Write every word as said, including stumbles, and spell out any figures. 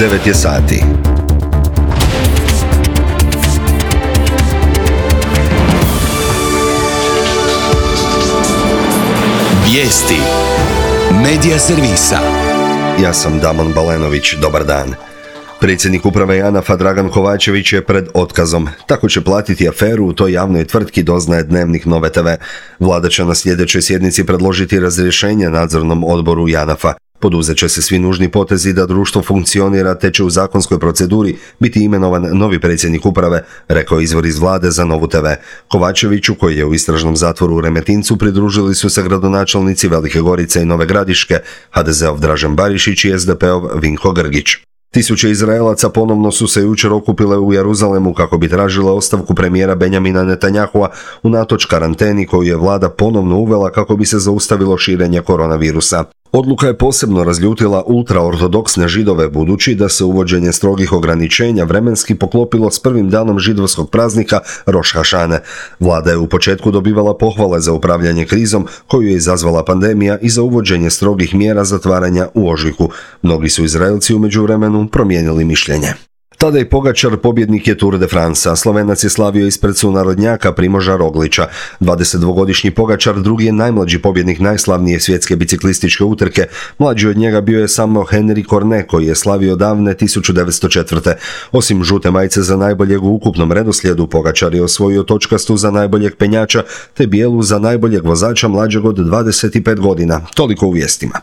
devet je sati. Vijesti Medija servisa. Ja sam Damon Balenović, dobar dan. Predsjednik uprave JANAF-a Dragan Kovačević je pred otkazom. Tako će platiti aferu u toj javnoj tvrtki, doznaje Dnevnik Nove te ve. Vlada će na sljedećoj sjednici predložiti razrješenje nadzornom odboru JANAF-a. Poduzet će se svi nužni potezi da društvo funkcionira, te će u zakonskoj proceduri biti imenovan novi predsjednik uprave, rekao izvor iz vlade za Novu te ve. Kovačeviću, koji je u istražnom zatvoru u Remetincu, pridružili su se gradonačelnici Velike Gorice i Nove Gradiške, ha de zeov Dražen Barišić i es de peov Vinko Grgić. Tisuće Izraelaca ponovno su se jučer okupile u Jeruzalemu kako bi tražile ostavku premijera Benjamina Netanjahua unatoč karanteni koju je vlada ponovno uvela kako bi se zaustavilo širenje koronavirusa. Odluka je posebno razljutila ultraortodoksne Židove, budući da se uvođenje strogih ograničenja vremenski poklopilo s prvim danom židovskog praznika Roš Hašane. Vlada je u početku dobivala pohvale za upravljanje krizom koju je izazvala pandemija i za uvođenje strogih mjera zatvaranja u ožujku. Mnogi su Izraelci u međuvremenu promijenili mišljenje. Tadej Pogačar pobjednik je Tour de France, a Slovenac je slavio ispred sunarodnjaka Primoža Roglića. dvadesetdvogodišnji Pogačar drugi je najmlađi pobjednik najslavnije svjetske biciklističke utrke. Mlađi od njega bio je samo Henri Cornet, koji je slavio davne tisuću devetsto četvrte. Osim žute majice za najboljeg u ukupnom redoslijedu, Pogačar je osvojio točkastu za najboljeg penjača, te bijelu za najboljeg vozača mlađeg od dvadeset pet godina. Toliko u vijestima.